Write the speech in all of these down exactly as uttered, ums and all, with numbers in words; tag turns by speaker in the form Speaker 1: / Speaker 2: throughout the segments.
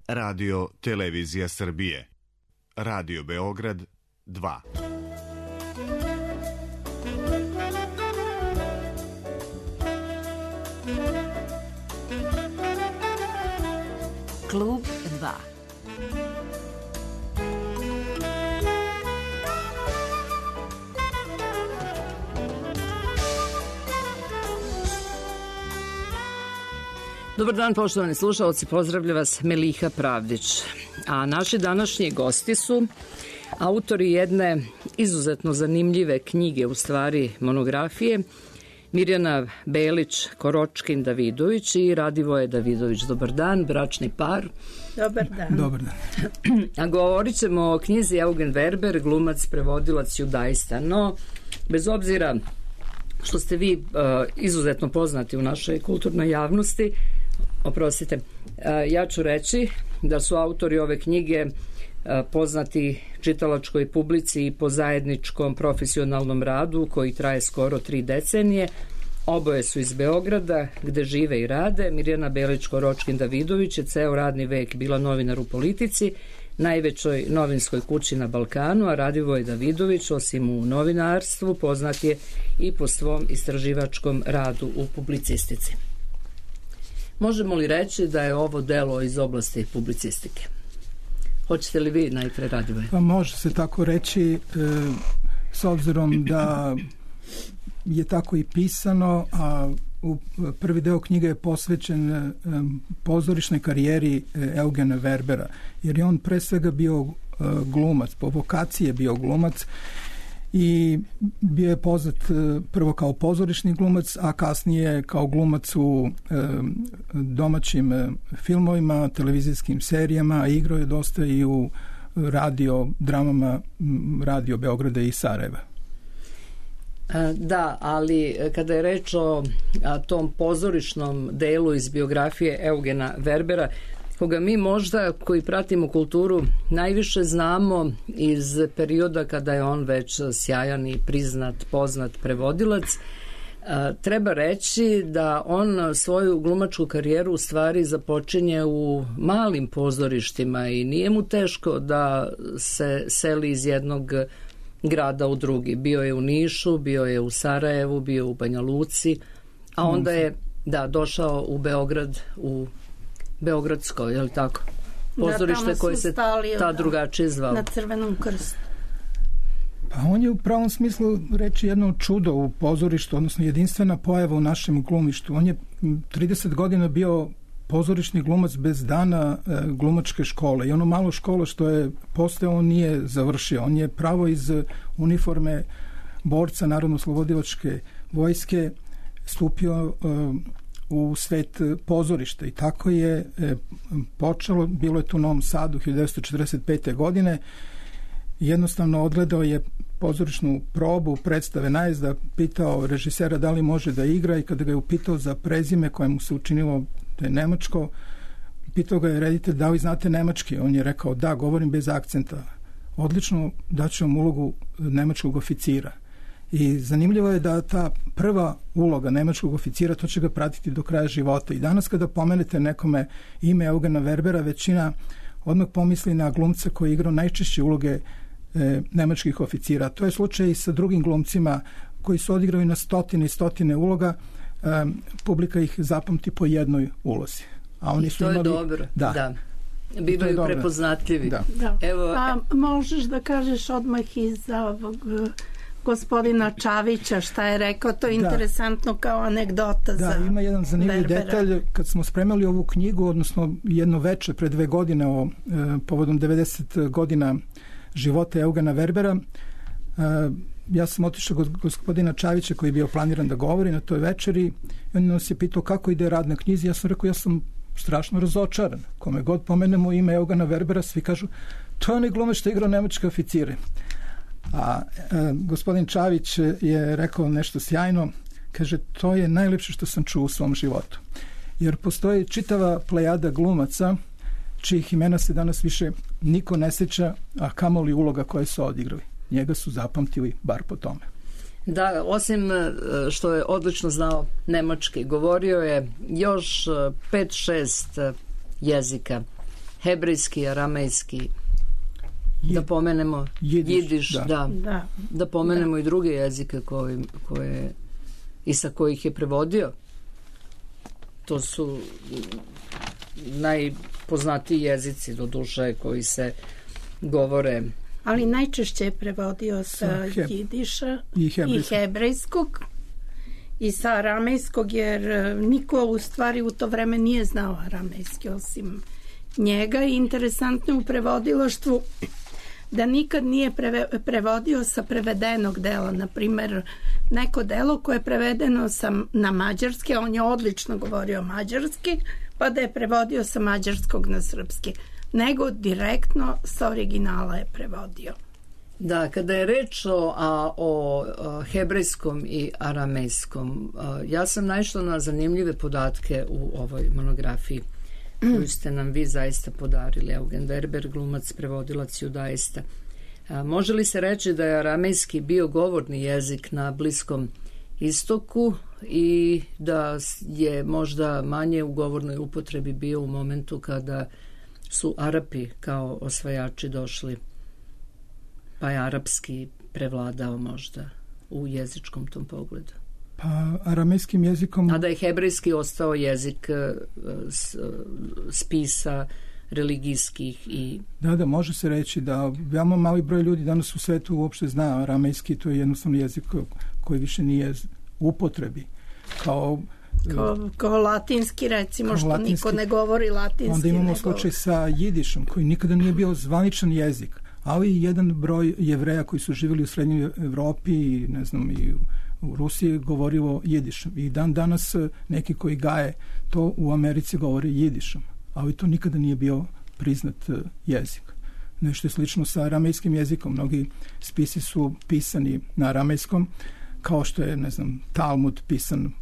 Speaker 1: Radio Televizija Srbije. Radio Beograd dva.
Speaker 2: Klub dva. Dobar dan, poštovani slušalci, pozdravlja vas Meliha Pravdić. A naši današnji gosti su autori jedne izuzetno zanimljive knjige, u stvari monografije, Mirjana Belić Koročkin Davidović i Radivoje Davidović. Dobar dan, bračni par.
Speaker 3: Dobar dan.
Speaker 4: Dobar dan.
Speaker 3: A govorit ćemo o knjizi Eugen Werber, glumac, prevodilac judaista. No, bez obzira što ste vi uh, izuzetno poznati u našoj kulturnoj javnosti, oprostite, uh, ja ću reći da su autori ove knjige uh, poznati čitalačkoj publici i po zajedničkom profesionalnom radu koji traje skoro tri decenije. Oboje su iz Beograda, gde žive i rade. Mirjana Belić Koročkin Davidović je ceo radni vek bila novinar u Politici, najvećoj novinskoj kući na Balkanu, a Radivoje Davidović, osim u novinarstvu, poznat je i po svom istraživačkom radu u publicistici. Možemo li reći da je ovo delo iz oblasti publicistike? Hoćete li vi najpre, Radivoje?
Speaker 4: Pa može se tako reći, e, s obzirom da je tako i pisano, a u prvi deo knjige je posvećen e, pozorišnoj karijeri e, Eugena Werbera, jer je on pre svega bio e, glumac, po vokaciji je bio glumac i bio je poznat e, prvo kao pozorišni glumac, a kasnije kao glumac u e, domaćim e, filmovima, televizijskim serijama, a igrao je dosta i u radio dramama Radio Beograda i Sarajeva.
Speaker 3: Da, ali kada je reč o a, tom pozorišnom delu iz biografije Eugena Werbera, koga mi možda koji pratimo kulturu najviše znamo iz perioda kada je on već sjajan i priznat, poznat prevodilac, a, treba reći da on svoju glumačku karijeru u stvari započinje u malim pozorištima i nije mu teško da se seli iz jednog grada u drugi. Bio je u Nišu, bio je u Sarajevu, bio u Banja Luci, a onda je da, došao u Beograd, u Beogradsko, je li tako? Pozorište koje se ta drugačije zvalo.
Speaker 2: Na Crvenom krstu.
Speaker 4: Pa on je u pravom smislu reći jedno čudo u pozorištu, odnosno jedinstvena pojava u našem glumištu. On je trideset godina bio pozorišni glumac bez dana e, glumačke škole i ono malo škole što je posle on nije završio. On je pravo iz uniforme borca Narodno-oslobodilačke vojske stupio e, u svet pozorišta i tako je e, počelo, bilo je tu u Novom Sadu hiljadu devetsto četrdeset pete. godine. Jednostavno odgledao je pozorišnu probu predstave Najezda, pitao režisera da li može da igra i kada ga je upitao za prezime koje mu se učinilo da je nemačko, pitao ga je reditelj da li znate nemački. On je rekao da, govorim bez akcenta. Odlično, daću vam ulogu nemačkog oficira. I zanimljivo je da ta prva uloga nemačkog oficira, to će ga pratiti do kraja života. I danas kada pomenete nekome ime Eugena Werbera, većina odmah pomisli na glumca koji je igrao najčešće uloge e, nemačkih oficira. To je slučaj i sa drugim glumcima koji su odigrali na stotine i stotine uloga. E, publika ih zapamti po jednoj ulozi. A oni su
Speaker 3: to
Speaker 4: imali,
Speaker 3: je dobro,
Speaker 4: da.
Speaker 3: da. Bivaju prepoznatljivi.
Speaker 4: Da.
Speaker 2: Da.
Speaker 3: Evo,
Speaker 2: pa možeš da kažeš odmah i za ovog gospodina Čavića šta je rekao, to je interesantno da. Kao anegdota. Da, za
Speaker 4: ima jedan zanimljiv
Speaker 2: Werbera.
Speaker 4: Detalj. Kad smo spremali ovu knjigu, odnosno jedno veče pre dve godine o e, povodom devedeset godina života Eugena Werbera, e, ja sam otišao kod gospodina Čavića koji je bio planiran da govori na toj večeri i on nas je pitao kako ide rad na knjizi. Ja sam rekao, ja sam strašno razočaran. Kome god pomenemo ime Eugena Werbera, svi kažu, to je onaj glumac što je igrao nemačke oficire. A e, gospodin Čavić je rekao nešto sjajno, kaže, to je najlepše što sam čuo u svom životu. Jer postoji čitava plejada glumaca čijih imena se danas više niko ne seća, a kamoli uloga koje su odigrali. Njega su zapamtili bar po tome.
Speaker 3: Da, osim što je odlično znao nemački, govorio je još pet šest jezika.
Speaker 2: hebrejski, aramejski,
Speaker 4: Je,
Speaker 2: da pomenemo jidiš, jidiš da. Da,
Speaker 3: da.
Speaker 2: da pomenemo
Speaker 3: da.
Speaker 2: i druge jezike koje, koje i sa kojih je prevodio. To su najpoznatiji jezici do duše koji se govore.
Speaker 3: Ali najčešće je prevodio sa, sa he, jidiša i, i hebrejskog i sa aramejskog, jer niko u stvari u to vreme nije znao aramejski osim njega. I interesantno u prevodilaštvu da nikad nije preve, prevodio sa prevedenog dela. Naprimer, neko delo koje je prevedeno sa, na mađarski, on je odlično govorio mađarski, pa da je prevodio sa mađarskog na srpski, nego direktno sa originala je prevodio.
Speaker 2: Da, kada je reč o, a, o, o hebrejskom i aramejskom, a, ja sam naišla na zanimljive podatke u ovoj monografiji koju ste nam vi zaista podarili. Eugen Werber, glumac, prevodilac judaista. A, može li se reći da je aramejski bio govorni jezik na Bliskom istoku i da je možda manje u govornoj upotrebi bio u momentu kada su Arapi kao osvajači došli, pa je arapski prevladao možda u jezičkom tom pogledu?
Speaker 4: Pa aramejskim jezikom...
Speaker 2: A da je hebrejski ostao jezik spisa religijskih i...
Speaker 4: Da, da, može se reći da veoma mali broj ljudi danas u svetu uopšte zna aramejski, to je jednostavno jezik koji više nije u upotrebi. Kao...
Speaker 3: Kao, kao latinski, recimo, kao što latinski, niko ne govori latinski.
Speaker 4: Onda imamo slučaj sa jidišom, koji nikada nije bio zvaničan jezik, ali jedan broj Jevreja koji su živjeli u Srednjoj Evropi i, ne znam, i u Rusiji govorilo jidišom. I dan danas neki koji gaje to u Americi govore jidišom, ali to nikada nije bio priznat jezik. Nešto je slično sa aramejskim jezikom. Mnogi spisi su pisani na aramejskom, kao što je, ne znam, Talmud pisan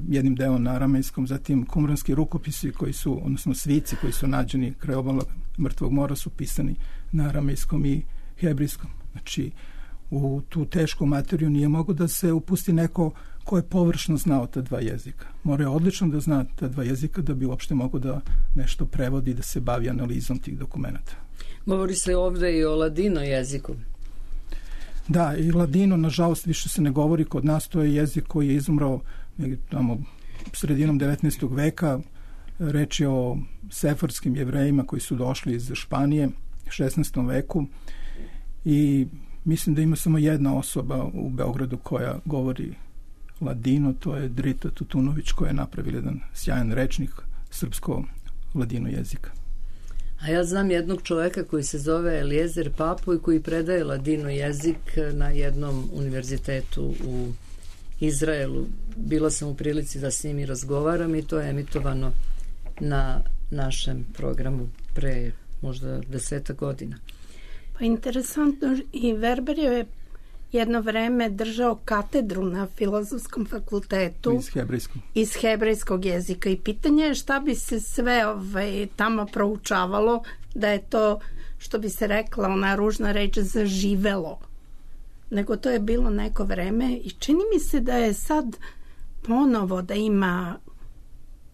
Speaker 4: jednim delom na aramejskom, zatim kumranski rukopisi koji su, odnosno svici koji su nađeni kraj obala Mrtvog mora su pisani na aramejskom i hebrejskom. Znači, u tu tešku materiju nije mogo da se upusti neko ko je površno znao ta dva jezika. Mora je odlično da zna ta dva jezika da bi uopšte mogo da nešto prevodi, da se bavi analizom tih dokumenta.
Speaker 2: Govori se ovde i o ladino jeziku.
Speaker 4: Da, i ladino, nažalost, više se ne govori kod nas, to je jezik koji je izumrao tamo sredinom devetnaestog veka. Reč je o sefarskim Jevrejima koji su došli iz Španije u šesnaestom veku i mislim da ima samo jedna osoba u Beogradu koja govori ladino, to je Drita Tutunović, koja je napravila jedan sjajan rečnik srpsko-ladino jezika.
Speaker 2: A ja znam jednog čoveka koji se zove Eliezer Papu i koji predaje ladino jezik na jednom univerzitetu u Izraelu. Bila sam u prilici da s njim i razgovaram i to je emitovano na našem programu pre možda deseta godina.
Speaker 3: Pa interesantno, i Werber je jedno vreme držao katedru na Filozofskom fakultetu
Speaker 4: iz hebrejskog,
Speaker 3: iz hebrejskog jezika i pitanje je šta bi se sve ovaj, tamo proučavalo da je to, što bi se rekla ona ružna reč, zaživelo. Nego to je bilo neko vreme i čini mi se da je sad ponovo da ima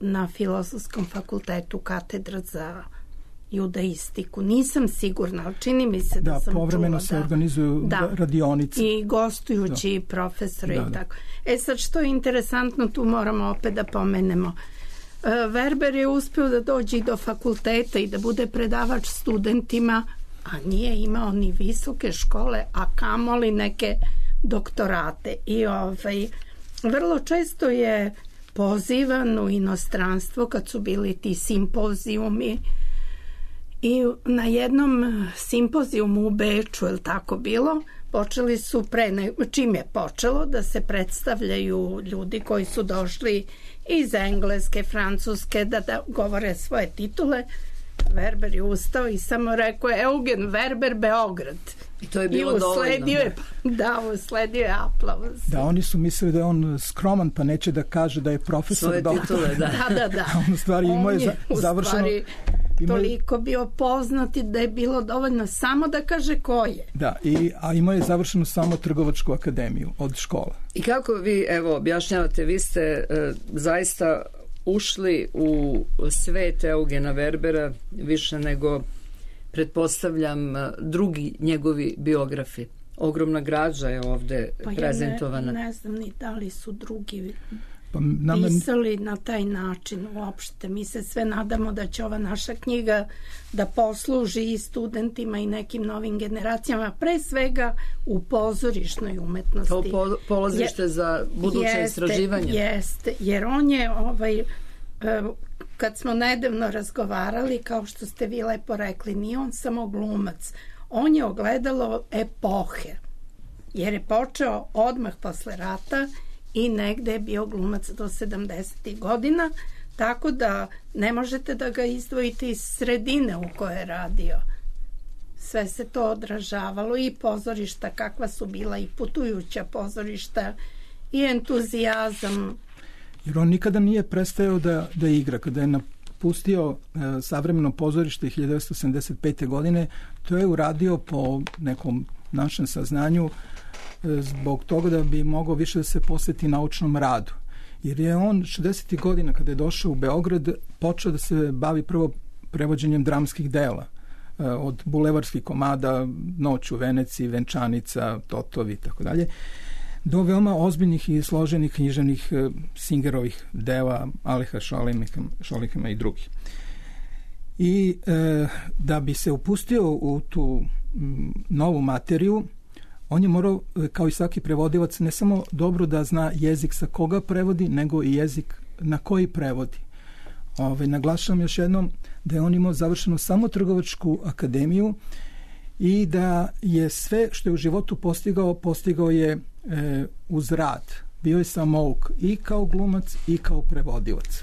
Speaker 3: na Filozofskom fakultetu katedra za judaistiku. Nisam sigurna, ali čini mi se da, da sam čula.
Speaker 4: Povremeno se
Speaker 3: da,
Speaker 4: organizuju
Speaker 3: da,
Speaker 4: radionice.
Speaker 3: I gostujući da. profesori da, i tako. Da. E sad, što je interesantno, tu moramo opet da pomenemo. Werber je uspeo da dođe do fakulteta i da bude predavač studentima, a nije imao ni visoke škole, a kamoli neke doktorate. I ovaj, vrlo često je pozivan u inostranstvo kad su bili ti simpozijumi. I na jednom simpozijumu u Beču, je li tako bilo, počeli su pre, ne, čim je počelo da se predstavljaju ljudi koji su došli iz Engleske, Francuske, da, da govore svoje titule. Werber je ustao i samo rekao je Eugen Werber, Beograd.
Speaker 2: I to je bilo dovoljno.
Speaker 3: Je, da, usledio je aplauz.
Speaker 4: Da, oni su mislili da je on skroman pa neće da kaže da je profesor.
Speaker 2: Svoje titule, da.
Speaker 3: da, da, da.
Speaker 4: A on u stvari imao je, je završeno...
Speaker 3: Stvari, toliko bio poznati da je bilo dovoljno samo da kaže ko je.
Speaker 4: Da, i, a imao je završeno samo Trgovačku akademiju od škola.
Speaker 2: I kako vi, evo, objašnjavate, vi ste e, zaista ušli u svet Eugena Verbera više nego, pretpostavljam, drugi njegovi biografi. Ogromna građa je ovde
Speaker 5: pa
Speaker 2: prezentovana.
Speaker 5: Ja ne, ne znam ni da li su drugi
Speaker 4: pa nama...
Speaker 5: pisali na taj način uopšte. Mi se sve nadamo da će ova naša knjiga da posluži i studentima i nekim novim generacijama, pre svega u pozorišnoj umetnosti.
Speaker 2: Kao po, polazište je, za buduće jeste, istraživanje.
Speaker 5: Jeste, jer on je ovaj, kad smo nedavno razgovarali, kao što ste vi lepo rekli, nije on samo glumac, on je ogledalo epohe, jer je počeo odmah posle rata i negde je bio glumac do sedamdesetih godina, tako da ne možete da ga izdvojite iz sredine u kojoj je radio. Sve se to odražavalo, i pozorišta kakva su bila, i putujuća pozorišta, i entuzijazam.
Speaker 4: Jer on nikada nije prestajao da, da igra. Kada je napustio e, savremeno pozorište hiljadu devetsto sedamdeset pete. godine, to je uradio po nekom našem saznanju e, zbog toga da bi mogao više da se posveti naučnom radu. Jer je on šezdesetih godina, kada je došao u Beograd, počeo da se bavi prvo prevođenjem dramskih dela. E, od bulevarskih komada, Noć u Veneciji, Venčanica, Totovi i tako dalje, do veoma ozbiljnih i složenih književnih e, Singerovih dela, Aleha Šolihima i drugih. I e, da bi se upustio u tu m, novu materiju, on je morao, kao i svaki prevodilac, ne samo dobro da zna jezik sa koga prevodi, nego i jezik na koji prevodi. Ove, naglašavam još jednom da je on imao završenu samo trgovačku akademiju i da je sve što je u životu postigao, postigao je e, uz rad. Bio je samouk i kao glumac i kao prevodilac.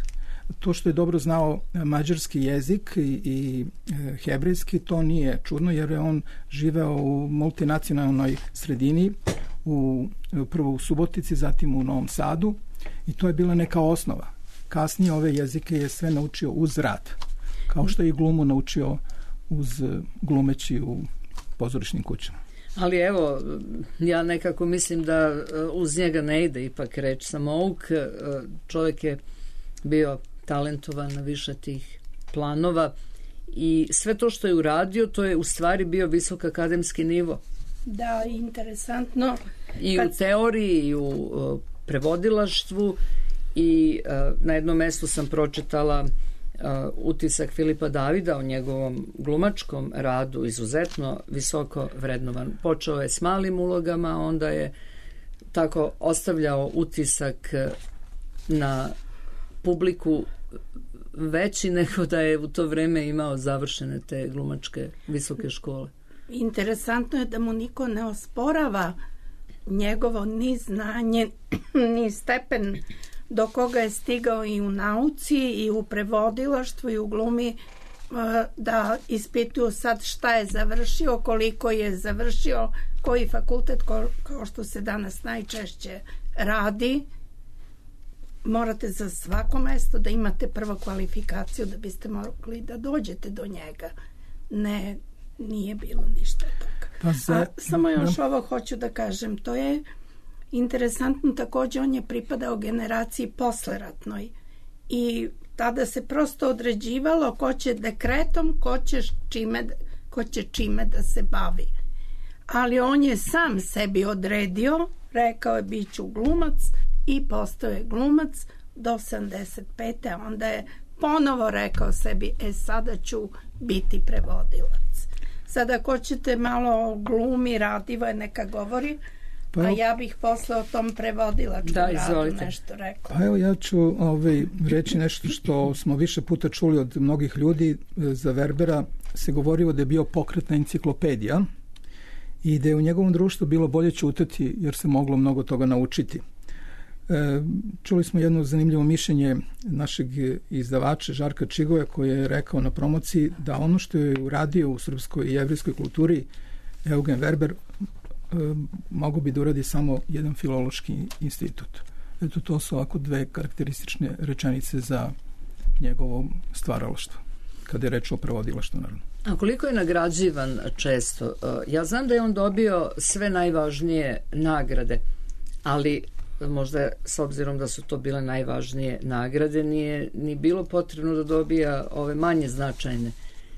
Speaker 4: To što je dobro znao mađarski jezik i, i e, hebrejski, to nije čudno, jer je on živeo u multinacionalnoj sredini, u, prvo u Subotici, zatim u Novom Sadu, i to je bila neka osnova. Kasnije ove jezike je sve naučio uz rad, kao što je i glumu naučio uz glumeći u pozorišnim kućama.
Speaker 2: Ali evo, ja nekako mislim da uz njega ne ide ipak reč samouk. Čovjek je bio talentovan na više tih planova i sve to što je uradio, to je u stvari bio visok akademski nivo.
Speaker 5: Da, interesantno.
Speaker 2: I
Speaker 5: Kad...
Speaker 2: u teoriji, i u uh, prevodilaštvu, i uh, na jednom mestu sam pročitala uh, utisak Filipa Davida o njegovom glumačkom radu, izuzetno visoko vrednovan. Počeo je s malim ulogama, onda je tako ostavljao utisak na publiku veći nego da je u to vreme imao završene te glumačke visoke škole.
Speaker 5: Interesantno je da mu niko ne osporava njegovo ni znanje, ni stepen do koga je stigao i u nauci, i u prevodilaštvu, i u glumi, da ispituju sad šta je završio, koliko je završio, koji fakultet, kao što se danas najčešće radi. Morate za svako mesto da imate prvo kvalifikaciju da biste mogli da dođete do njega. Ne, nije bilo ništa toga.
Speaker 4: Pa za...
Speaker 5: A samo još no. ovo hoću da kažem, to je interesantno, također on je pripadao generaciji posleratnoj i tada se prosto određivalo ko će dekretom, ko će čime, ko će čime da se bavi. Ali on je sam sebi odredio, rekao je bit ću glumac, i postao je glumac do sedamdeset pete. a onda je ponovo rekao sebi, e sada ću biti prevodilac. Sada ako ćete malo o glumi, Radivo je neka govori, pa, a ja bih posle o tom prevodilačkom
Speaker 2: da,
Speaker 5: radu nešto rekla.
Speaker 4: Pa evo, ja ću ovaj, reći nešto što smo više puta čuli od mnogih ljudi. Za Verbera se govorilo da je bio pokretna enciklopedija i da je u njegovom društvu bilo bolje ćutati jer se moglo mnogo toga naučiti. Čuli smo jedno zanimljivo mišljenje našeg izdavača Žarka Čigoja, koji je rekao na promociji da ono što je uradio u srpskoj i jevrejskoj kulturi Eugen Verber mogo bi da uradi samo jedan filološki institut. Eto, to su ovako dve karakteristične rečenice za njegovo stvaralaštvo, kada je reč o prevodilaštvu, naravno.
Speaker 2: A koliko je nagrađivan često? Ja znam da je on dobio sve najvažnije nagrade, ali možda s obzirom da su to bile najvažnije nagrade, nije ni bilo potrebno da dobija ove manje značajne.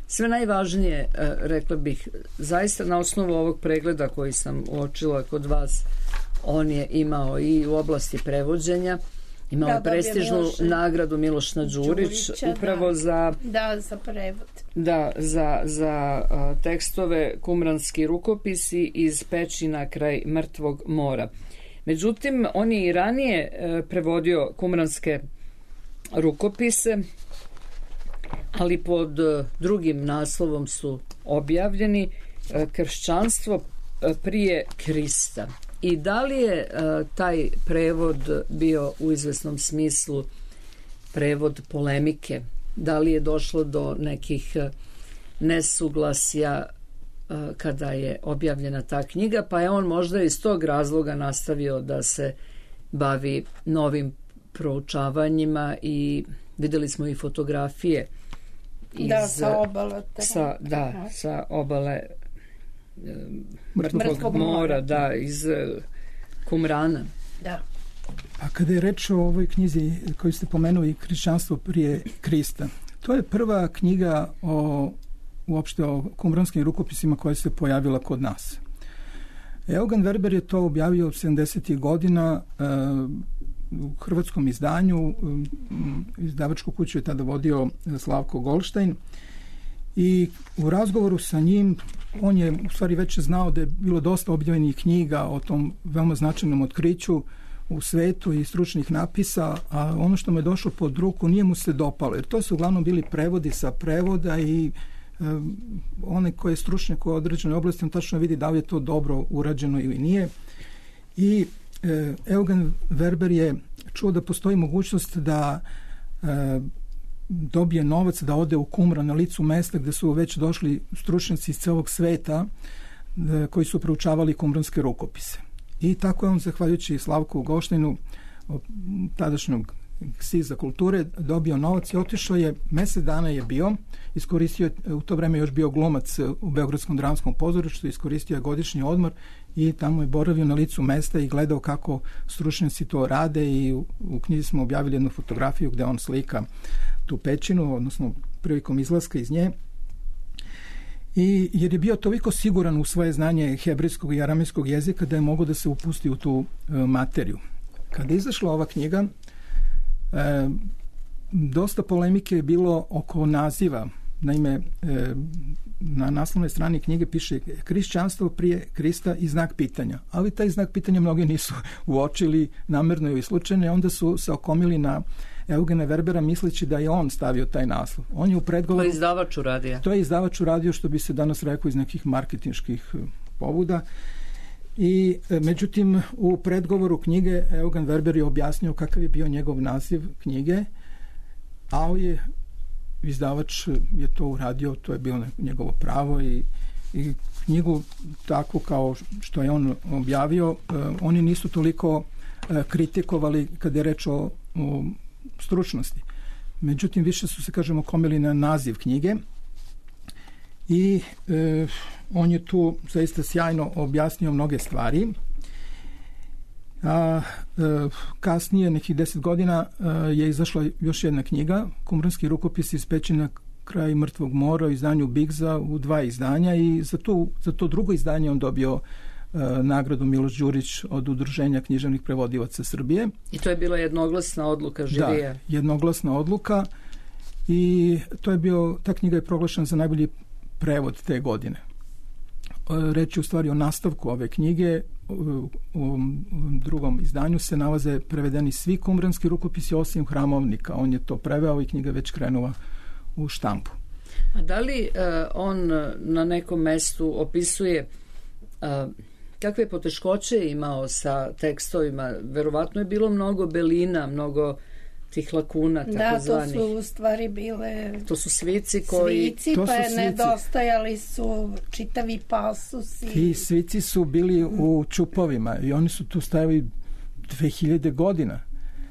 Speaker 2: Sve najvažnije, rekla bih, zaista na osnovu ovog pregleda koji sam uočila kod vas, on je imao i u oblasti prevođenja, imao je prestižnu Miloš, nagradu Miloš Nađurić, upravo
Speaker 5: da,
Speaker 2: za,
Speaker 5: da, za prevod.
Speaker 2: Da, za, za a, tekstove Kumranski rukopisi iz Pećina kraj Mrtvog mora. Međutim, on je i ranije e, prevodio kumranske rukopise, ali pod e, drugim naslovom su objavljeni e, Kršćanstvo e, prije Krista. I da li je e, taj prevod bio u izvesnom smislu prevod polemike? Da li je došlo do nekih e, nesuglasja e, kada je objavljena ta knjiga, pa je on možda iz tog razloga nastavio da se bavi novim proučavanjima i videli smo i fotografije iz,
Speaker 5: da, sa obale
Speaker 2: sa, da, sa obale Mrtvog, Mrtvog mora, mora, da, iz Kumrana.
Speaker 5: Da.
Speaker 4: A kada je reč o ovoj knjizi koju ste pomenuli, Kršćanstvo prije Krista, to je prva knjiga o, uopšte o kumranskim rukopisima koja se pojavila kod nas. Eugen Werber je to objavio od sedamdesetih godina e, u hrvatskom izdanju. Izdavačku kuću je tada vodio Slavko Golštajn i u razgovoru sa njim on je u stvari već znao da je bilo dosta objavljenih knjiga o tom veoma značajnom otkriću u svetu i stručnih napisa, a ono što mu je došlo pod ruku nije mu se dopalo, jer to su uglavnom bili prevodi sa prevoda i e, onaj koji je stručnjak u određenoj oblasti, on tačno vidi da li je to dobro urađeno ili nije. I e, Eugen Werber je čuo da postoji mogućnost da e, dobije novac da ode u Kumran na licu mesta gde su već došli stručnjaci iz celog sveta e, koji su proučavali kumranske rukopise. I tako je on, zahvaljujući Slavku Golštajnu, tadašnjog ksiza kulture, dobio novac i otišao je, mesec dana je bio, iskoristio, u to vreme još bio glumac u Beogradskom dramskom pozorištu, iskoristio je godišnji odmor i tamo je boravio na licu mesta i gledao kako stručnjaci to rade i u, u knjizi smo objavili jednu fotografiju gde on slika tu pećinu, odnosno prilikom izlaska iz nje. I jer je bio toliko siguran u svoje znanje hebrejskog i aramejskog jezika da je mogao da se upusti u tu e, materiju. Kada je izašla ova knjiga, e, dosta polemike je bilo oko naziva. Naime, e, na naslovnoj strani knjige piše Kršćanstvo prije Krista i znak pitanja. Ali taj znak pitanja mnogi nisu uočili namerno ili slučajno, onda su se okomili na Eugena Werbera misleći da je on stavio taj naslov. On je u predgovoru...
Speaker 2: To je izdavač uradio.
Speaker 4: To je izdavač uradio, što bi se danas rekao iz nekih marketinških pobuda. I međutim, u predgovoru knjige Eugen Werber je objasnio kakav je bio njegov naziv knjige, ali je izdavač je to uradio, to je bilo njegovo pravo i, i knjigu tako kao što je on objavio, oni nisu toliko kritikovali kada je reč o, o stručnosti. Međutim, više su se, kažemo, komili na naziv knjige i e, on je tu zaista sjajno objasnio mnoge stvari. A e, kasnije, nekih deset godina, e, je izašla još jedna knjiga, Kumranski rukopis iz Pećina kraj Mrtvog mora, u izdanju Bigza, u dva izdanja, i za to, za to drugo izdanje on dobio nagradu Miloš Đurić od Udruženja književnih prevodilaca Srbije.
Speaker 2: I to je bila jednoglasna odluka žirija.
Speaker 4: Da, jednoglasna odluka i to je bio, ta knjiga je proglašena za najbolji prevod te godine. Reč je u stvari o nastavku ove knjige. U, u drugom izdanju se nalaze prevedeni svi kumranski rukopisi osim Hramovnika. On je to preveo i knjiga već krenula u štampu.
Speaker 2: A da li uh, on na nekom mestu opisuje uh, kakve poteškoće je imao sa tekstovima? Verovatno je bilo mnogo belina, mnogo tih lakuna, tako zvanih.
Speaker 5: Da, to su u stvari bile...
Speaker 2: To su svici koji...
Speaker 5: Svici, pa je nedostajali su čitavi pasusi.
Speaker 4: Ti svici su bili u čupovima i oni su tu stajali dve hiljade godina.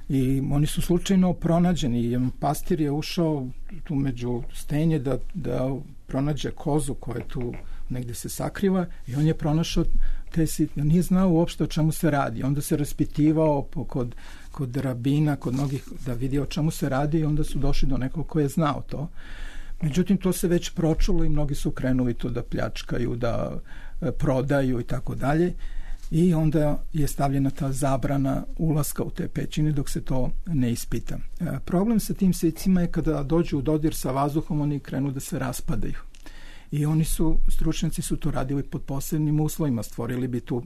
Speaker 4: I oni su slučajno pronađeni. Pastir je ušao tu među stenje da, da pronađe kozu koja tu negde se sakriva i on je pronašao te sitne, nije znao uopšte o čemu se radi. Onda se raspitivao po, kod, kod rabina, kod mnogih, da vidi o čemu se radi i onda su došli do nekog ko je znao to. Međutim, to se već pročulo i mnogi su krenuli to da pljačkaju, da prodaju i tako dalje. I onda je stavljena ta zabrana ulaska u te pećine dok se to ne ispita. E, problem sa tim svicima je kada dođu u dodir sa vazduhom, oni krenu da se raspadaju. I oni su, stručnjaci su to radili pod posebnim uslovima, stvorili bi tu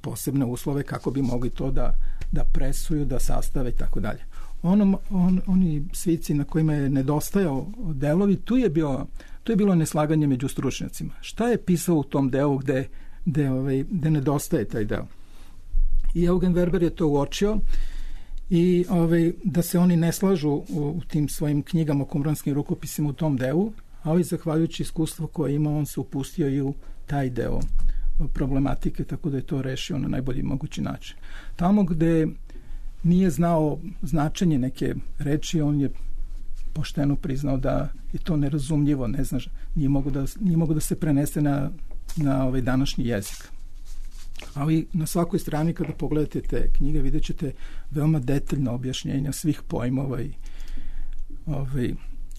Speaker 4: posebne uslove kako bi mogli to da, da presuju, da sastave i tako dalje. Ono, on, oni svici na kojima je nedostajao delovi, tu je, bio, tu je bilo neslaganje među stručnjacima. Šta je pisao u tom delu gde gde, ovaj, gde nedostaje taj deo. I Eugen Werber je to uočio i ovaj, da se oni ne slažu u, u tim svojim knjigama o kumranskim rukopisima u tom delu, ali zahvaljujući iskustvu koje ima, on se upustio i u taj deo problematike, tako da je to rešio na najbolji mogući način. Tamo gde nije znao značenje neke reči, on je pošteno priznao da je to nerazumljivo, ne znaš, nije mogo da, nije mogo da se prenese na na ovaj današnji jezik. Ali na svakoj strani kada pogledate te knjige vidjet ćete veoma detaljno objašnjenja svih pojmova i ovaj,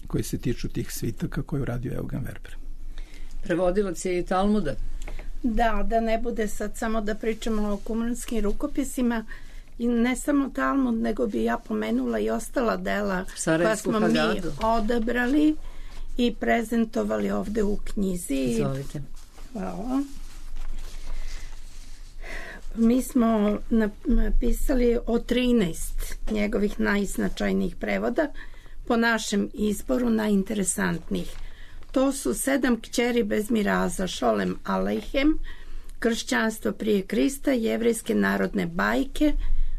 Speaker 4: koji se tiču tih svitaka koje je radio Eugen Werber.
Speaker 2: Prevodilac je i Talmuda.
Speaker 5: Da, da ne bude sad samo da pričamo o kumranskim rukopisima i ne samo Talmud, nego bi ja pomenula i ostala dela koja smo Hagadu mi odabrali i prezentovali ovde u knjizi.
Speaker 2: Izvolite.
Speaker 5: Hvala. Mi smo napisali o trinaest njegovih najznačajnijih prevoda, po našem izboru najinteresantnijih. To su Sedam kćeri bez miraza, Šolem Alejhem, Kršćanstvo prije Krista, Jevrejske narodne bajke,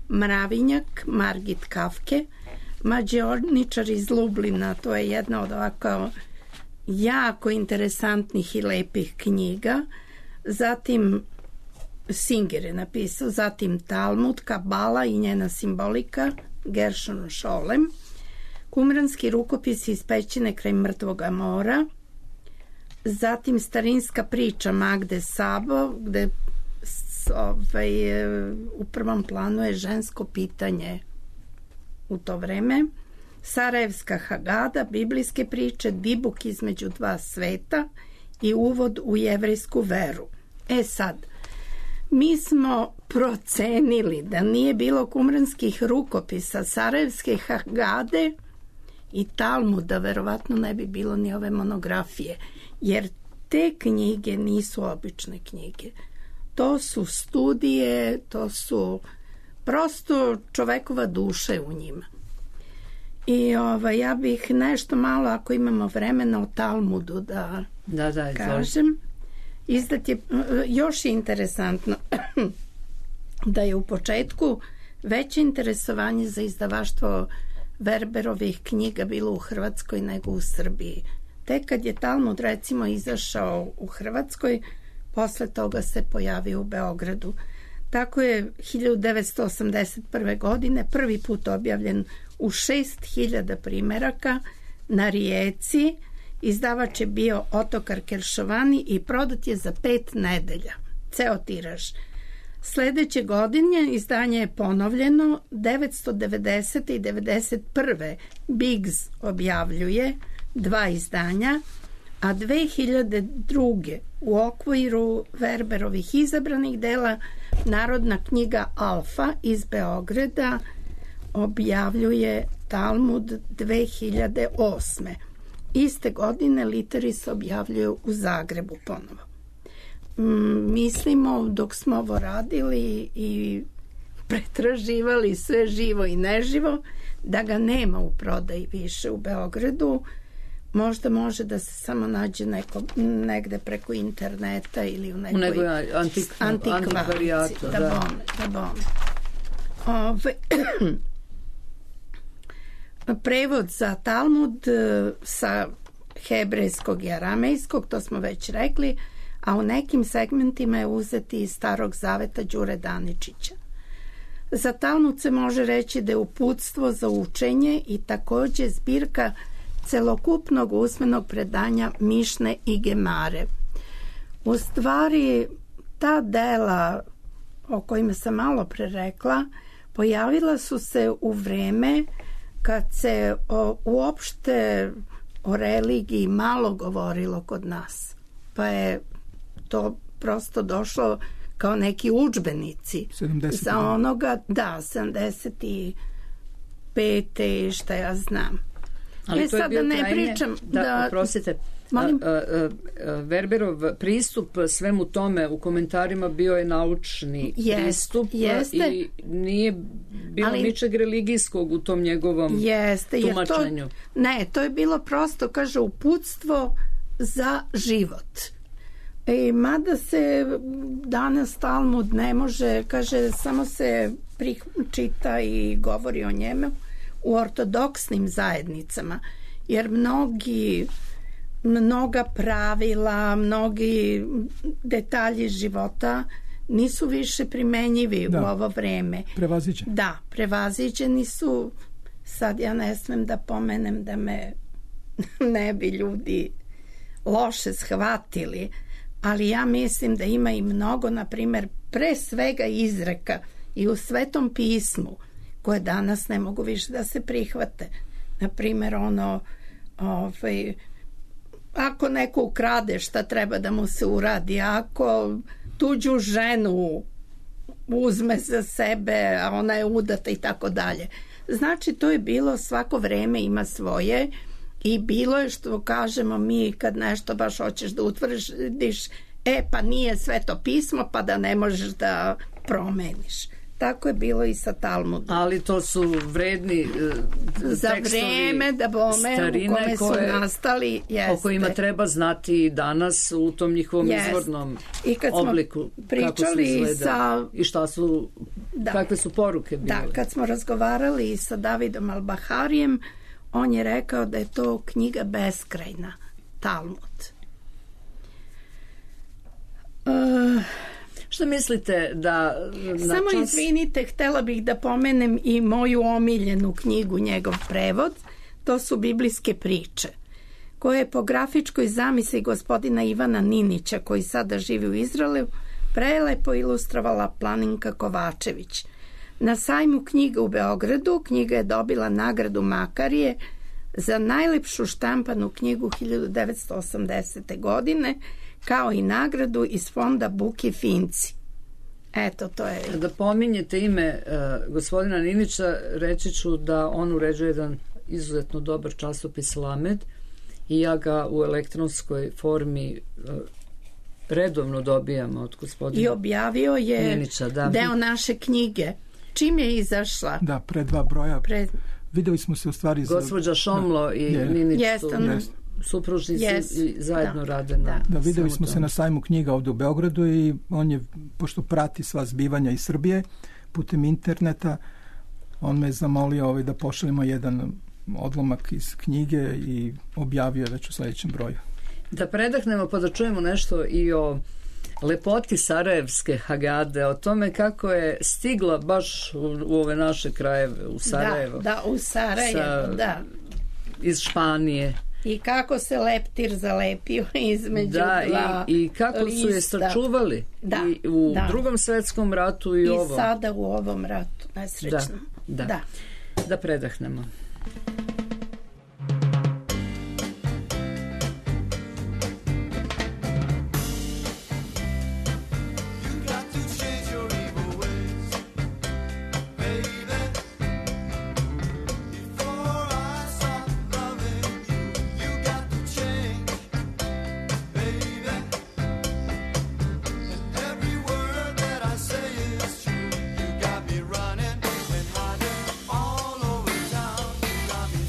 Speaker 5: Mravinjak, Margit Kafke, Mađioničar iz Lublina, to je jedna od ovako jako interesantnih i lepih knjiga. Zatim Singer je napisao, zatim Talmud, Kabala i njena simbolika, Gershon Šolem, Kumranski rukopisi iz pećine kraj Mrtvoga mora, zatim starinska priča Magde Sabo, gde ovaj, u prvom planu je žensko pitanje u to vreme, Sarajevska Hagada, biblijske priče, Dibuk između dva sveta i uvod u jevrejsku veru. E sad, mi smo procenili da nije bilo kumranskih rukopisa, Sarajevske Hagade i Talmuda, verovatno ne bi bilo ni ove monografije, jer te knjige nisu obične knjige. To su studije, to su prosto čovekova duša u njima. I ovaj, ja bih nešto malo, ako imamo vremena, o Talmudu da,
Speaker 2: da, da
Speaker 5: kažem. Izdat je, još je interesantno da je u početku veće interesovanje za izdavaštvo Werberovih knjiga bilo u Hrvatskoj nego u Srbiji. Tek kad je Talmud recimo izašao u Hrvatskoj, posle toga se pojavio u Beogradu. Tako je hiljadu devetsto osamdeset prve. godine prvi put objavljen u šest hiljada primeraka na Rijeci. Izdavač je bio Otokar Keršovani i prodat je za pet nedelja. Ceo tiraž. Sledeće godine izdanje je ponovljeno, devetsto devedesete. i devedeset prve. Biggs objavljuje dva izdanja, a dve hiljade druge. u okviru Werberovih izabranih dela Narodna knjiga Alfa iz Beograda objavljuje Talmud dve hiljade osme. Iste godine Literis objavljuju u Zagrebu ponovo. Mislimo, dok smo ovo radili i pretraživali sve živo i neživo, da ga nema u prodaji više u Beogradu. Možda može da se samo nađe neko, negde preko interneta ili u nekoj, u nekoj
Speaker 2: antik,
Speaker 5: antikvarijatu. Da, da bome, da bome. Ove, prevod za Talmud sa hebrejskog i aramejskog, to smo već rekli, a u nekim segmentima je uzeti iz Starog zaveta Đure Daničića. Za Talmud se može reći da je uputstvo za učenje i takođe zbirka celokupnog usmenog predanja Mišne i Gemare. U stvari, ta dela o kojima sam malo pre rekla pojavila su se u vreme kad se o, uopšte o religiji malo govorilo kod nas. Pa je to prosto došlo kao neki udžbenici za onoga, da, sedamdeset pet i šta ja znam.
Speaker 2: Ali
Speaker 5: e,
Speaker 2: to je
Speaker 5: sad
Speaker 2: bio
Speaker 5: da ne
Speaker 2: krajnje,
Speaker 5: pričam
Speaker 2: da,
Speaker 5: da,
Speaker 2: oprostite,
Speaker 5: Molim?
Speaker 2: A, a, a, Verberov pristup svemu tome u komentarima bio je naučni
Speaker 5: Jest,
Speaker 2: pristup
Speaker 5: jeste.
Speaker 2: I nije bilo
Speaker 5: Ali,
Speaker 2: ničeg religijskog u tom njegovom
Speaker 5: jeste,
Speaker 2: tumačenju.
Speaker 5: Jer to, ne, to je bilo prosto, kaže, uputstvo za život. E, mada se danas Talmud ne može, kaže, samo se čita i govori o njemu u ortodoksnim zajednicama, jer mnogi mnoga pravila, mnogi detalji života nisu više primenjivi da. u ovo vreme.
Speaker 4: Prevaziđeni.
Speaker 5: Da, prevaziđeni su. Sad ja ne smem da pomenem da me ne bi ljudi loše shvatili, ali ja mislim da ima i mnogo, na primjer, pre svega izreka i u Svetom pismu koje danas ne mogu više da se prihvate. Na primjer, ono ovaj, ako neko ukrade, šta treba da mu se uradi, ako tuđu ženu uzme za sebe, a ona je udata i tako dalje. Znači, to je bilo, svako vreme ima svoje i bilo je, što kažemo mi, kad nešto baš hoćeš da utvrdiš, e pa nije Sveto pismo, pa da ne možeš da promeniš. Tako je bilo i sa Talmudom.
Speaker 2: Ali to su vredni uh,
Speaker 5: za
Speaker 2: tekstovi
Speaker 5: vreme da bome u kome su
Speaker 2: koje,
Speaker 5: nastali, jeste.
Speaker 2: O kojima treba znati i danas u tom njihovom jest. izvornom
Speaker 5: I kad
Speaker 2: obliku, kako su izgleda
Speaker 5: sa,
Speaker 2: i šta su, da. kakve su poruke bile.
Speaker 5: Da, kad smo razgovarali sa Davidom Al-Baharijem, on je rekao da je to knjiga beskrajna, Talmud. Uh,
Speaker 2: Što mislite da...
Speaker 5: Samo čas... izvinite, htjela bih da pomenem i moju omiljenu knjigu, njegov prevod. To su biblijske priče, koje je po grafičkoj zamisli gospodina Ivana Ninića, koji sada živi u Izraelu, prelepo ilustrovala Planinka Kovačević. Na sajmu knjiga u Beogradu knjiga je dobila nagradu Makarije za najlepšu štampanu knjigu hiljadu devetsto osamdesete. godine, kao i nagradu iz fonda Buki Finci. Eto, to je...
Speaker 2: Da pominjete ime uh, gospodina Ninića, reći ću da on uređuje jedan izuzetno dobar časopis Lamed i ja ga u elektronskoj formi uh, redovno dobijam od gospodina
Speaker 5: I objavio je
Speaker 2: Ninića, da.
Speaker 5: deo naše knjige. Čim je izašla?
Speaker 4: Da, pre dva broja.
Speaker 5: Pre...
Speaker 4: Videli smo se u stvari...
Speaker 2: Gospođa Šomlo
Speaker 4: da,
Speaker 2: i
Speaker 4: je.
Speaker 2: Ninić
Speaker 5: Jest,
Speaker 2: su...
Speaker 5: on...
Speaker 2: supružnici
Speaker 5: yes.
Speaker 2: i zajedno
Speaker 5: da.
Speaker 2: rade na...
Speaker 5: Da,
Speaker 4: da videli smo se na sajmu knjiga ovdje u Beogradu i on je, pošto prati sva zbivanja iz Srbije putem interneta, on me zamolio ovaj, da pošaljemo jedan odlomak iz knjige i objavio je već u sljedećem broju.
Speaker 2: Da predahnemo pa da čujemo nešto i o lepoti Sarajevske Hagade, o tome kako je stigla baš u, u ove naše krajeve, u Sarajevo.
Speaker 5: Da, da, u Sarajevo,
Speaker 2: sa,
Speaker 5: da.
Speaker 2: Iz Španije.
Speaker 5: I kako se leptir zalepio između
Speaker 2: da,
Speaker 5: dva
Speaker 2: i, i kako
Speaker 5: lista.
Speaker 2: su je sačuvali
Speaker 5: da,
Speaker 2: i u
Speaker 5: da.
Speaker 2: drugom svetskom ratu i,
Speaker 5: I
Speaker 2: ovom.
Speaker 5: I sada u ovom ratu, najsrećnom.
Speaker 2: Da, da.
Speaker 5: da.
Speaker 2: da predahnemo.
Speaker 6: Running and hiding all over town. You got me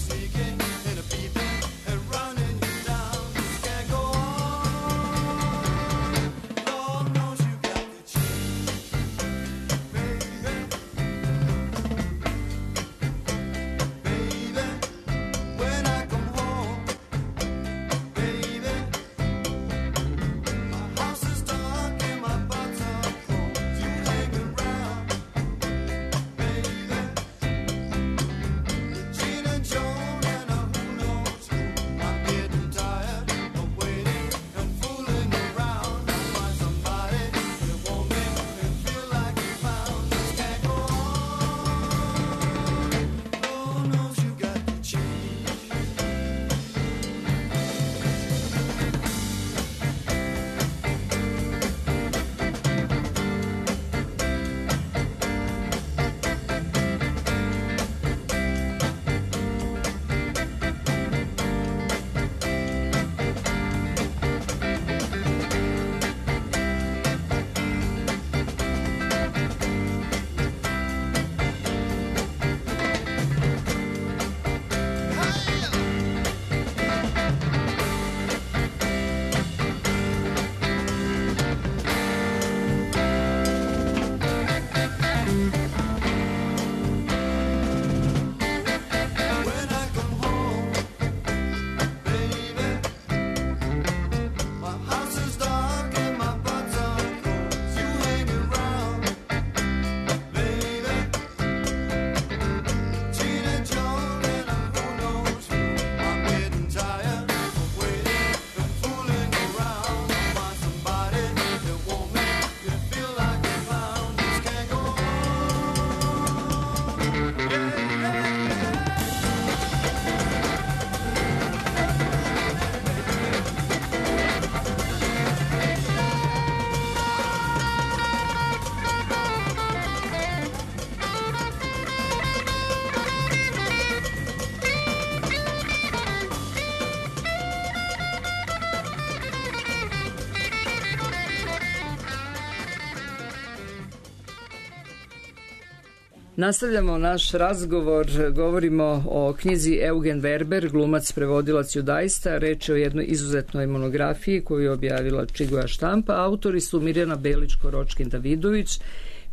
Speaker 2: Nastavljamo naš razgovor, govorimo o knjizi Eugen Werber, glumac, prevodilac, judaista. Reč je o jednoj izuzetnoj monografiji koju je objavila Čigova štampa. Autori su Mirjana Belić-Koročkin-Davidović,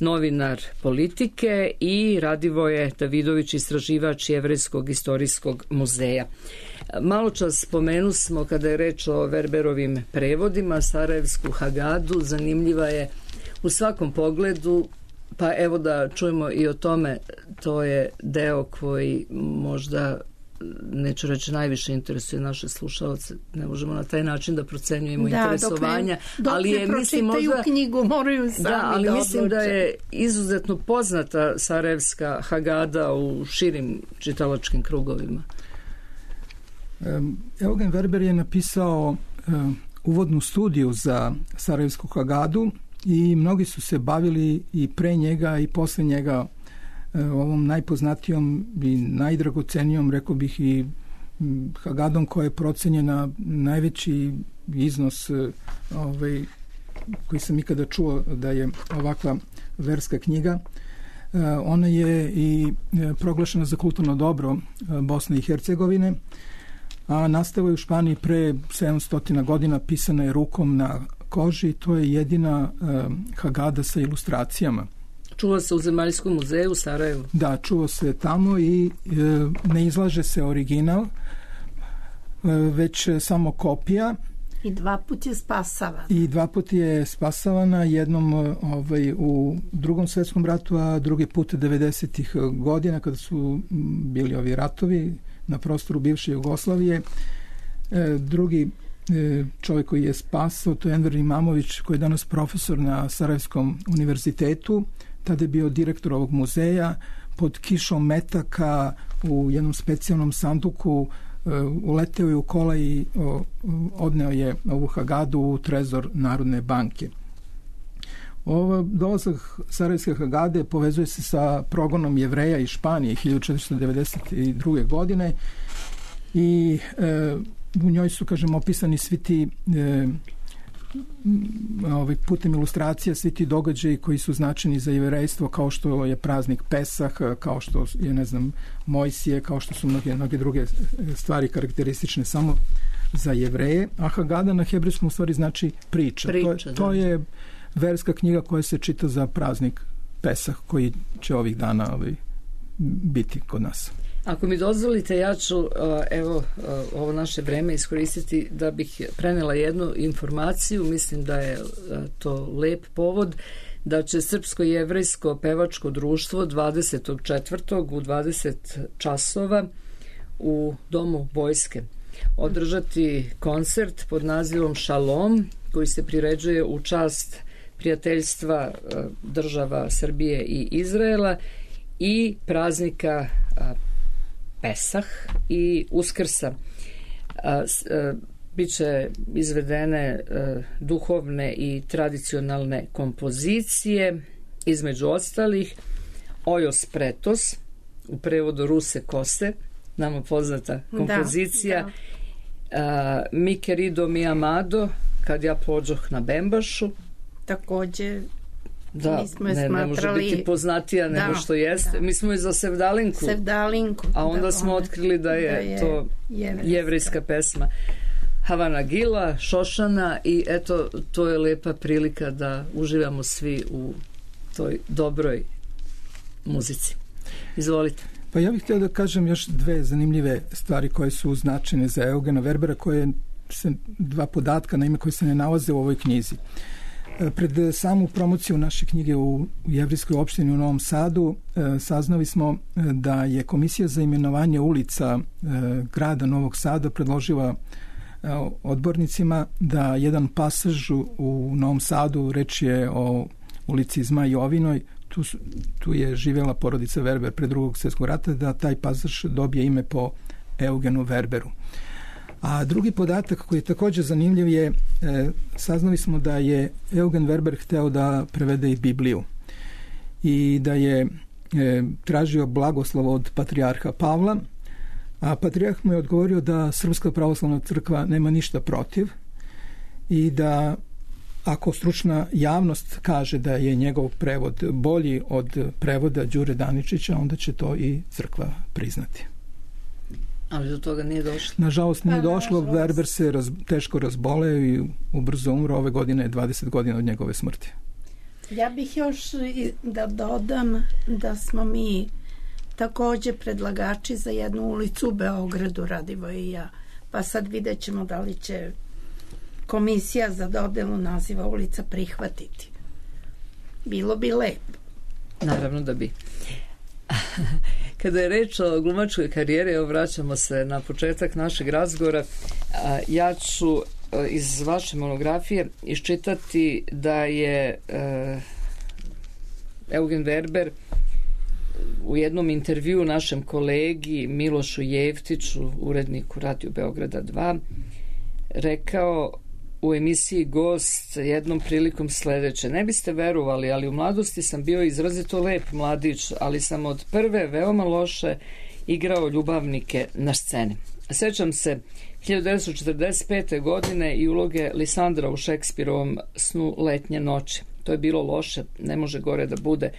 Speaker 2: novinar Politike, i Radivoje Davidović, istraživač Jevrejskog istorijskog muzeja. Malo čas spomenu smo, kada je reč o Werberovim prevodima, Sarajevsku Hagadu. Zanimljiva je u svakom pogledu. Pa evo da čujemo i o tome. To je deo koji možda, neću reći najviše interesuje naše slušalce. Ne možemo na taj način da procenjujemo da, interesovanja.
Speaker 5: Dok ne, dok
Speaker 2: ali
Speaker 5: ne
Speaker 2: je,
Speaker 5: pročitaju
Speaker 2: mislim, možda,
Speaker 5: knjigu, moraju sami
Speaker 2: da, ali
Speaker 5: da
Speaker 2: mislim da je izuzetno poznata Sarajevska Hagada u širim čitalačkim krugovima.
Speaker 4: Um, Eugen Werber je napisao um, uvodnu studiju za Sarajevsku Hagadu i mnogi su se bavili i pre njega i posle njega ovom najpoznatijom i najdragocenijom, rekao bih, i Hagadom koja je procenjena najveći iznos ovaj, koji sam ikada čuo da je ovakva verska knjiga. Ona je i proglašena za kulturno dobro Bosne i Hercegovine, a nastala je u Španiji pre sedamsto godina, pisana je rukom na koži. To je jedina uh, Hagada sa ilustracijama.
Speaker 2: Čuva se u Zemaljskom muzeju u Sarajevu.
Speaker 4: Da, čuva se tamo i uh, ne izlaže se original, uh, već samo kopija.
Speaker 5: I dva put je spasavana.
Speaker 4: I dva put je spasavana, jednom uh, ovaj, u drugom svetskom ratu, a drugi put devedesetih godina kada su bili ovi ratovi na prostoru bivše Jugoslavije. Uh, drugi čovjek koji je spasao, to je Enver Imamović, koji je danas profesor na Sarajevskom univerzitetu. Tada je bio direktor ovog muzeja. Pod kišom metaka u jednom specijalnom sanduku uleteo je u kola i odneo je ovu Hagadu u trezor Narodne banke. Ovo dolazak Sarajevske Hagade povezuje se sa progonom Jevreja iz Španije hiljadu četiristo devedeset druge godine i e, u njoj su, kažem, opisani svi ti e, ovaj, putem ilustracija, svi ti događaji koji su značeni za jevrejstvo, kao što je praznik Pesah, kao što je, ne znam, Mojsije, kao što su mnoge, mnoge druge stvari karakteristične samo za Jevreje. A Hagada na hebrejskom u stvari znači priča.
Speaker 2: priča
Speaker 4: to, to je verska knjiga koja se čita za praznik Pesah, koji će ovih dana ovaj, biti kod nas.
Speaker 2: Ako mi dozvolite, ja ću evo ovo naše vreme iskoristiti da bih prenela jednu informaciju. Mislim da je to lep povod da će Srpsko-jevrejsko pevačko društvo dvadesetog četvrtog u dvadeset časova u Domu vojske održati koncert pod nazivom Šalom, koji se priređuje u čast prijateljstva država Srbije i Izraela i praznika Pesah i Uskrsa. Biće izvedene duhovne i tradicionalne kompozicije, između ostalih Ojos Pretos, u prevodu Ruse Kose, nama poznata kompozicija, da, da. Mi querido mi amado, Kad ja pođoh na Bembašu.
Speaker 5: Takođe,
Speaker 2: da,
Speaker 5: mi smo
Speaker 2: ne,
Speaker 5: smatrali...
Speaker 2: ne može biti poznatija nego da, što jeste. Da. Mi smo i za Sevdalinku.
Speaker 5: Sevdalinku.
Speaker 2: A onda
Speaker 5: da,
Speaker 2: smo
Speaker 5: one,
Speaker 2: otkrili da je, da je to jevrejska. jevrejska pesma. Havana Gila, Šošana, i eto, to je lepa prilika da uživamo svi u toj dobroj muzici. Izvolite.
Speaker 4: Pa ja bih htio da kažem još dve zanimljive stvari koje su značajne za Eugena Werbera, koje se, dva podatka na ime koje se ne nalaze u ovoj knjizi. Pred samu promociju naše knjige u Jevrejskoj opštini u Novom Sadu saznali smo da je Komisija za imenovanje ulica grada Novog Sada predložila odbornicima da jedan pasaž u Novom Sadu, reč je o ulici Zmaj Jovinoj, tu, tu je živjela porodica Werber pre drugog svjetskog rata, da taj pasaž dobije ime po Eugenu Werberu. A drugi podatak koji je također zanimljiv je, e, saznali smo da je Eugen Werber hteo da prevede i Bibliju i da je e, tražio blagoslov od patrijarha Pavla, a patrijarh mu je odgovorio da Srpska pravoslavna crkva nema ništa protiv i da ako stručna javnost kaže da je njegov prevod bolji od prevoda Đure Daničića, onda će to i crkva priznati.
Speaker 2: Ali do toga nije došlo.
Speaker 4: Nažalost nije
Speaker 5: pa,
Speaker 4: došlo,
Speaker 5: nažalost.
Speaker 4: Verber se raz, teško razboleo i ubrzo umro. Ove godine je dvadeset godina od njegove smrti.
Speaker 5: Ja bih još da dodam da smo mi takođe predlagači za jednu ulicu u Beogradu, Radivoj i ja. Pa sad vidjet ćemo da li će komisija za dodelu naziva ulica prihvatiti. Bilo bi lepo.
Speaker 2: Naravno da bi. Kada je reč o glumačkoj karijeri, evo vraćamo se na početak našeg razgovora, ja ću iz vaše monografije iščitati da je Eugen Verber u jednom intervjuu našem kolegi Milošu Jevtiću, uredniku Radio Beograda dva, rekao u emisiji Gost jednom prilikom sledeće: ne biste verovali, ali u mladosti sam bio izrazito lep mladić, ali sam od prve veoma loše igrao ljubavnike na sceni. Sećam se hiljadu devetsto četrdeset pete. godine i uloge Lisandra u Šekspirovom Snu letnje noći. To je bilo loše, ne može gore da bude,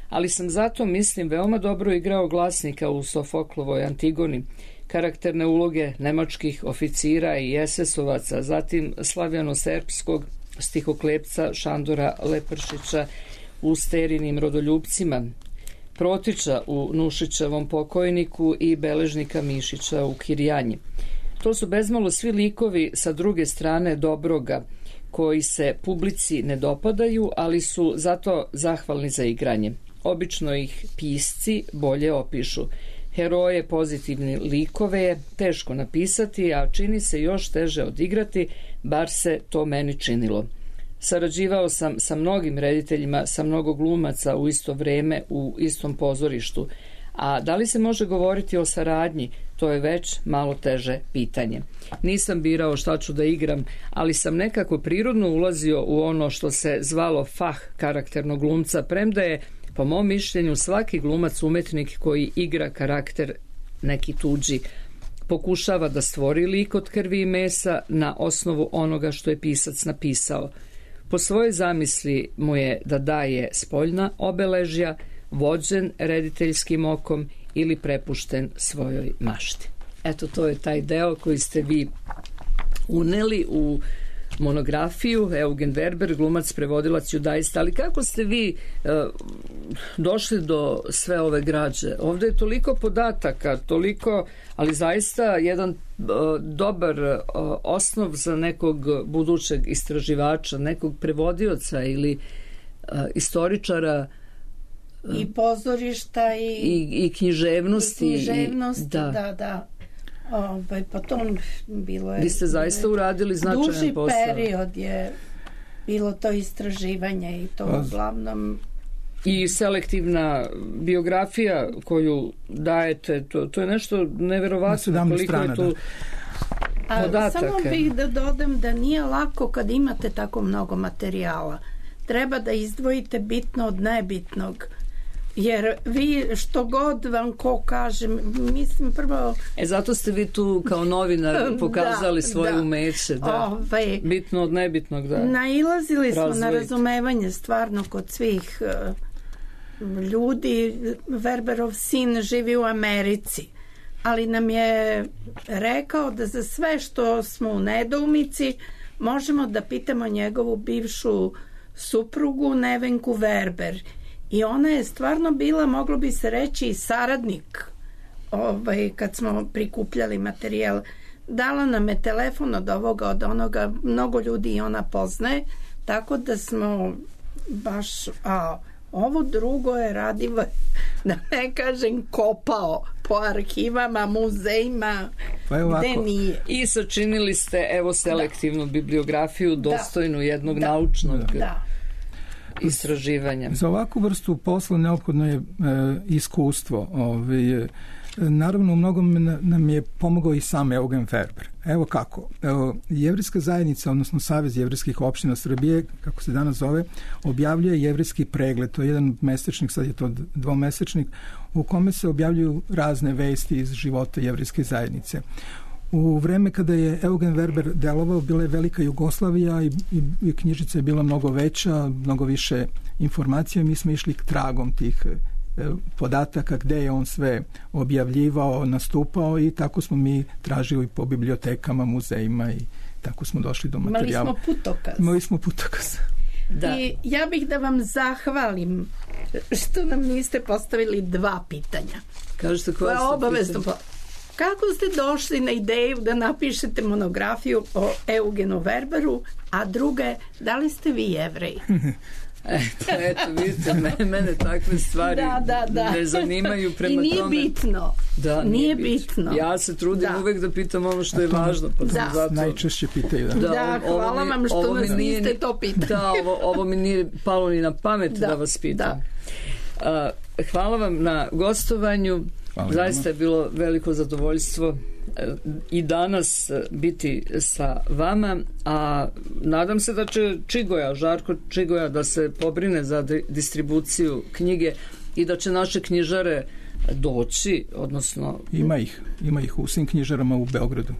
Speaker 2: ali sam zato, mislim, veoma dobro igrao glasnika u Sofoklovoj Antigoni, karakterne uloge nemačkih oficira i esesovaca, zatim slavjano-serbskog stihoklepca Šandora Lepršića u Sterinim rodoljupcima, Protića u Nušićevom Pokojniku i beležnika Mišića u Kirjanji. To su bezmalo svi likovi sa druge strane dobroga, koji se publici ne dopadaju, ali su zato zahvalni za igranje. Obično ih pisci bolje opišu. Heroje, pozitivni likove je teško napisati, a čini se još teže odigrati, bar se to meni činilo. Sarađivao sam sa mnogim rediteljima, sa mnogo glumaca u isto vreme, u istom pozorištu. A da li se može govoriti o saradnji, to je već malo teže pitanje. Nisam birao šta ću da igram, ali sam nekako prirodno ulazio u ono što se zvalo fah karakternog glumca, premda je, po mom mišljenju, svaki glumac umetnik koji igra karakter neki tuđi, pokušava da stvori lik od krvi i mesa na osnovu onoga što je pisac napisao. Po svojoj zamisli mu je da daje spoljna obeležja, vođen rediteljskim okom ili prepušten svojoj mašti. Eto, to je taj deo koji ste vi uneli u monografiju Eugen Verber, glumac, prevodilac, judaista. Ali kako ste vi e, došli do sve ove građe? Ovde je toliko podataka, toliko, ali zaista jedan e, dobar e, osnov za nekog budućeg istraživača, nekog prevodioca ili e, istoričara
Speaker 5: i pozorišta i,
Speaker 2: i, i književnosti.
Speaker 5: I književnosti,
Speaker 2: i, da,
Speaker 5: da. da. Ovaj, pa to bilo je...
Speaker 2: Vi ste zaista uradili značajan
Speaker 5: duži
Speaker 2: posao.
Speaker 5: Duži period je bilo to istraživanje i to
Speaker 4: pa,
Speaker 5: uglavnom...
Speaker 2: I selektivna biografija koju dajete, to, to je nešto neverovatno. Koliko
Speaker 4: strana,
Speaker 2: je tu
Speaker 5: A,
Speaker 2: podataka.
Speaker 5: samo bih da dodam da nije lako kad imate tako mnogo materijala. Treba da izdvojite bitno od nebitnog. Jer vi što god vam ko kaže, mislim prvo...
Speaker 2: E zato ste vi tu kao novinar pokazali da, svoje
Speaker 5: da.
Speaker 2: umeće, da.
Speaker 5: Ovaj,
Speaker 2: bitno od nebitnog, da.
Speaker 5: Nailazili smo
Speaker 2: Razvojite.
Speaker 5: na razumevanje stvarno kod svih uh, ljudi. Verberov sin živi u Americi, ali nam je rekao da za sve što smo u nedoumici možemo da pitamo njegovu bivšu suprugu Nevenku Verber. I ona je stvarno bila, moglo bi se reći, i saradnik ovaj, kad smo prikupljali materijal. Dala nam je telefon od ovoga, od onoga, mnogo ljudi i ona poznaje, tako da smo baš, a ovo drugo je Radivo, da ne kažem, kopao po arhivama, muzejima,
Speaker 4: pa
Speaker 5: gde nije.
Speaker 2: I sačinili ste, evo, selektivnu da. bibliografiju dostojnu
Speaker 5: da.
Speaker 2: jednog
Speaker 5: da.
Speaker 2: naučnog...
Speaker 5: Da.
Speaker 2: istraživanja.
Speaker 4: Za ovakvu vrstu posla neophodno je e, iskustvo. Ovaj, naravno, u mnogom nam je pomogao i sam Eugen Verber. Evo kako. Evo, Jevrijska zajednica, odnosno Savez jevrijskih opština Srbije, kako se danas zove, objavljuje Jevrijski pregled. To je jedan mesečnik, sad je to dvomesečnik, u kome se objavljuju razne vesti iz života Jevrijske zajednice. U vreme kada je Eugen Werber delovao, bila je velika Jugoslavija i, i, i knjižica je bila mnogo veća, mnogo više informacija. Mi smo išli k tragom tih e, podataka gde je on sve objavljivao, nastupao i tako smo mi tražili po bibliotekama, muzejima i tako smo došli do materijala.
Speaker 5: Imali smo putokaz.
Speaker 4: Imali smo putokaz.
Speaker 5: Da. I ja bih da vam zahvalim što nam niste postavili dva pitanja.
Speaker 3: Kažete koja ste
Speaker 5: obavezno pitanja? Kako ste došli na ideju da napišete monografiju o Eugenu Werberu, a druge, da li ste vi Jevrej?
Speaker 3: Eto, eto, vidite, mene, mene takve stvari
Speaker 5: da, da, da.
Speaker 3: ne zanimaju prema tome.
Speaker 5: I nije
Speaker 3: tome.
Speaker 5: bitno.
Speaker 3: Da,
Speaker 5: nije, nije bitno. bitno.
Speaker 3: Ja se trudim da. uvek da pitam ono što je važno. Pa
Speaker 5: da.
Speaker 3: Zato...
Speaker 4: Najčešće pitaju. Da,
Speaker 5: da, da hvala mi, vam što nas
Speaker 3: nije,
Speaker 5: niste to pitali.
Speaker 3: Da, ovo, ovo mi nije palo ni na pamet da, da vas pitam. Da. Uh, hvala vam na gostovanju. Hvala. Zaista je bilo veliko zadovoljstvo i danas biti sa vama, a nadam se da će Čigoja, Žarko Čigoja da se pobrine za distribuciju knjige i da će naše knjižare doći, odnosno...
Speaker 4: Ima ih, ima ih u svim knjižarama u Beogradu.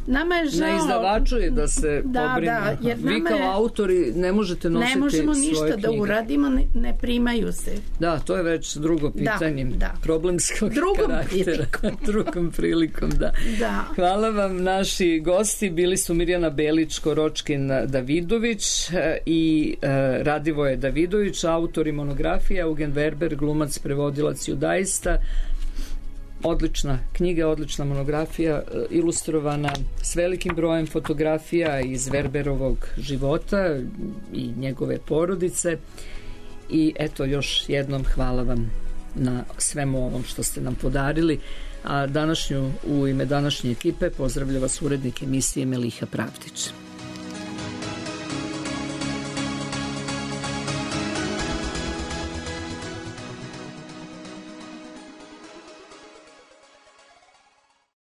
Speaker 5: Nama je žao...
Speaker 3: Na izdavaču je da se
Speaker 5: da,
Speaker 3: pobrine.
Speaker 5: Da, jer
Speaker 3: vi kao
Speaker 5: je...
Speaker 3: autori ne možete nositi
Speaker 5: ne možemo
Speaker 3: svoje
Speaker 5: ništa
Speaker 3: knjige.
Speaker 5: Da uradimo, ne, ne primaju se.
Speaker 3: Da, to je već drugo pitanje.
Speaker 5: Da, da.
Speaker 3: Problemskog
Speaker 5: drugom
Speaker 3: karaktera.
Speaker 5: Prilikom.
Speaker 3: Drugom prilikom, da.
Speaker 5: da.
Speaker 3: Hvala vam, naši gosti. Bili su Mirjana Belić, Koročkin Davidović i e, Radivoje Davidović, autori monografije, Eugen Werber, glumac, prevodilac judaista. Odlična knjiga, odlična monografija, ilustrovana s velikim brojem fotografija iz Werberovog života i njegove porodice. I eto, još jednom hvala vam na svemu ovom što ste nam podarili. A današnju, u ime današnje ekipe pozdravlja vas urednik emisije Meliha Pravdić.